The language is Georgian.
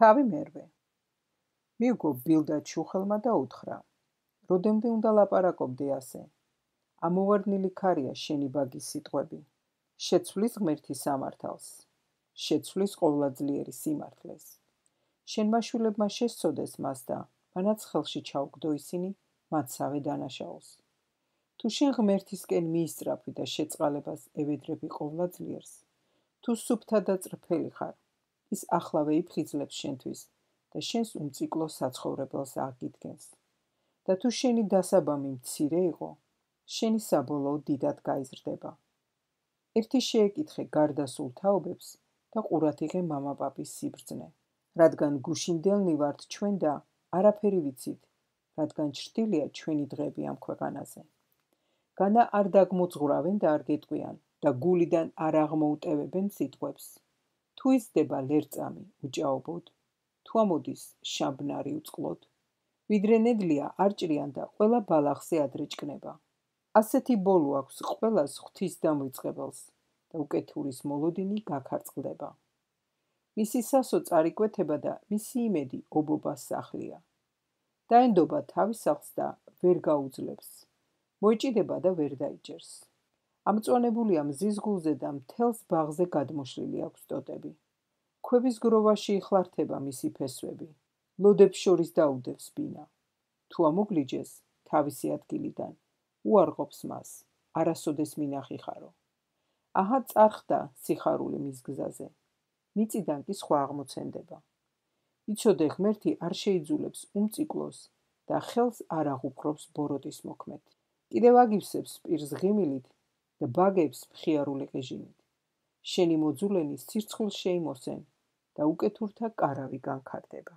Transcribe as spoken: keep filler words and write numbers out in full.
თავი მერვე. მიუგო ბილდა ჩუხელმა და უთხრა: "როდემდე უნდა ლაპარაკობდე ასე? ამოვარდნილი ქარია შენი ბაგის სიტყვები. შეცვლის ღმერთი სამართალს, შეცვლის ყოვლადწლიერი სიმართლეს. შენ მაშვილებმა შესწოდეს მას და მანაც ხელში ჩაუგდო ისინი მათსავე დანაშაულს. თუ შენ ღმერთისკენ მიისწრაფვი და შეწყალებას ევედრები ყოვლადძლიერს, თუ სუფთა და წრფელი ხარ, ის ახლავე იფხიზლებს შენთვის და შენს უმციკლო საცხოვრებელს აღგიდგენს. და თუ შენი დასაბამი მცირე იყო, შენი საბოლოო დიდად გაიზრდება. ერთი შეეკითხე გარდასულ თაობებს და ყურად იღე მამა-პაპის სიბრძნე, რადგან გუშინდელნი ვართ ჩვენ და არაფერი ვიცით, რადგან ჩრდილია ჩვენი დღეები ამ ქვეყანაზე. განა არ დაგმოძღვრავენ და არ გეტყვიან და გულიდან არ აღმოუტევებენ სიტყვებს. თუ იზრდება ლერწამი უჭაობოდ, თუ ამოდის შამბნარი უწყლოდ, ვიდრე ნედლია არ ჭრიან და ყველა ბალახზე ადრე ჭკნება. ასეთი ბოლო აქვს ყველას ღვთის დამრიწყებელს და უკეთურის მოლოდინი გაქარწყლდება. მისი სასო წარიკვეთება და მისი იმედი ობობას სახლია. დაენდობა თავის სახლს და ვერ გაუძლებს. მოიჭიდება და ვერ დაიჭერს. ამწვანებულია მზის გულზე და მთელს ბაღზე გადმოშლილი აქვს ტოტები. ქვების გროვაში იხლართება მისი ფესვები. ლოდებს შორის დაუდევს ბინა. თუ ამოგლიჯეს თავისი ადგილიდან, უარყოფს მას, არასოდეს მინახიხარო. აჰა წარხდა სიხარული მის გზაზე. მიწიდან კი სხვა აღმოცენდება. იცოდე ღმერთი არ შეიძულებს უმციკლოს და ხელს არ აღუპყრობს ბოროტის მოქმედ. კიდევ აგივსებს პირს ღიმილით და ბაგებს მხიარული ყიჟინით. შენი მოძულენი სირცხვილს შეიმოსენ და უკეთურთა კარავი განქარდება.